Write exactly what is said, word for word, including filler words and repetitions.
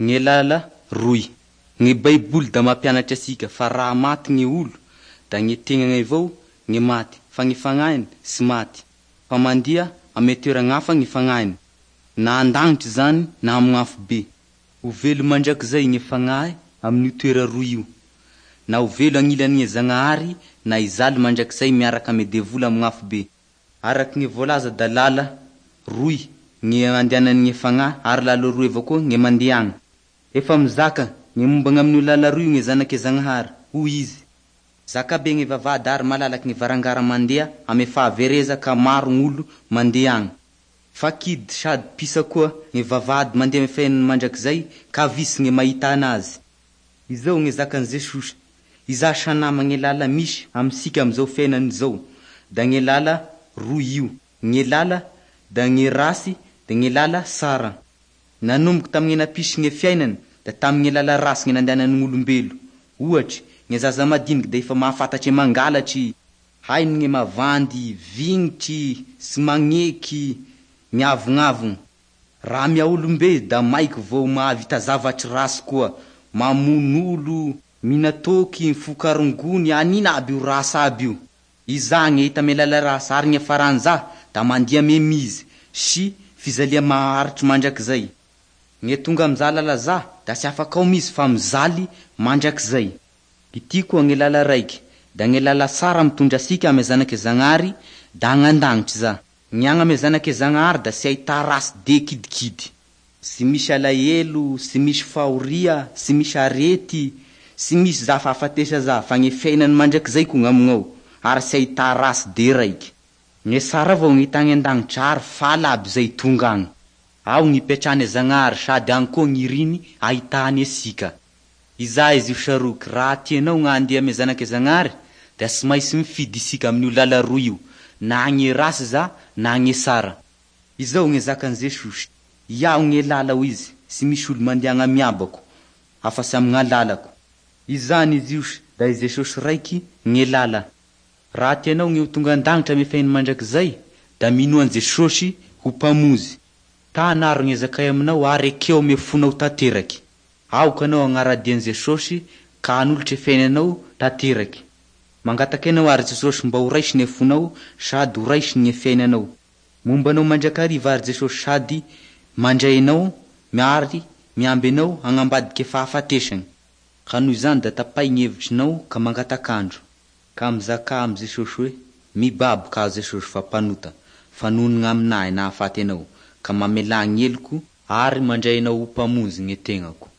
Ny lala roy. Ny baiboly da mampianatry asika fa raha maty ny olo da ny tegnany avao ny maty fa ny fagnahiny sy maty fa mandeha ame toerana hafa ny fagnahiny, na an-dagnitry zany na amin'ny afobe. Ho velo mandrakizay ny fagnahy amin'io toera roy io, na ho velo agnilan'ny Zagnahary na hijaly mandrakizay miaraka amy devoly amin'ny afobe. Araky ny voalaza da lala roy ny andehanan'ny fagnahy ary lala roy avao koa ny mandeha agny. Efa mizaka ny momba ny amin'io lala roy io ny zanak'i Zagnahary, hoy izy: zakabe ny vavahady ary malalaky ny varangara mandeha amy fahavereza ka maro gn'olo mandeha agny. Fa kidy sady pisa koa ny vavahady mandeha amy fiainana mandrakizay ka visy ny mahita anazy. Izao ny zakan'i Jesosy: iza sanama ny lala misy amintsika amin'izao fiainana izao da ny lala roy io. Ny lala da ny rasy da ny lala sara. Nanomboky tamin'ny nampisy ny fiainana da tamin'ny lala rasy ny nandehanan'olombelo. Ohatry, ny zaza madiniky da efa mahafantatry mangalatry, hainy ny mavandy, vignitry, sy magneky, miavognavogno. Raha mia olombe da maiky vao mahavita zavatry rasy koa, mamono olo, mihina toaky, mifoka rongony, anina aby io rasy aby io. Iza ny hita amy lala rasy ary ny faran'za da mandeha amy mizy sy fijalia maharitry mandrakizay. Ny tonga am'za lala za da tsy afaka ao mizy fa mijaly mandrakizay. Ity koa ny lala raiky, da ny lala tsara mitondra asika amy zanak'i Zagnahary da agny an-dagnitry za. Ny agny amy zanak'i Zagnahary da tsy ahita rasy de kidikidy. Tsy misy alahelo, tsy misy fahoria, tsy misy arety, tsy misy za fahafatesa za fa ny fiainany mandrakizay koa gn'amignao ary tsy ahita rasy de raiky. Ny tsara avao ny hita agny an-dagnitra ary faly aby zay tonga agny. Ao ny ipetrahany Zagnahary sady agny koa ny iriny ahitany asika. Iza izy io saroky, raha tianao gny handeha amy zanak'i Zagnahary da tsy maintsy mifidy isika amin'io lala roy io, na gny rasy za na gny tsara. Izao ny zakan'i Jesosy: iaho ny lala hoy izy, tsy misy olo mandeha agny amy abako afa-tsy amin'ny alalako. Izany izy io da i Jesosy raiky ny lala. Raha tianao ny ho tonga an-dagnitra amy fiainana mandrakizay da minoa an'i Jesosy ho mpamonjy. Tanaro ny zakay aminao ary ekeo amy fonao tanteraky. Aoka anao agnara-dia an'i Jesosy ka hanolotra fiainanao tanteraky. Mangataka anao ary Jesosy mba ho raisiny ny fonao sady ho raisiny ny fiainanao. Momba anao mandrakariva ary Jesosy sady mandray anao miary miamby anao agnambadiky fahafatesany. Ka noho izany da tapahy ny hevitrinao ka mangatak'andro. Ka mizakà amy Jesosy hoe: mibaboka aho Jesosy fa mpanota, fa noho ny aminahy nahafaty anao, ka mamelà ny heloko ary mandray anao ho mpamonjy ny tegnako.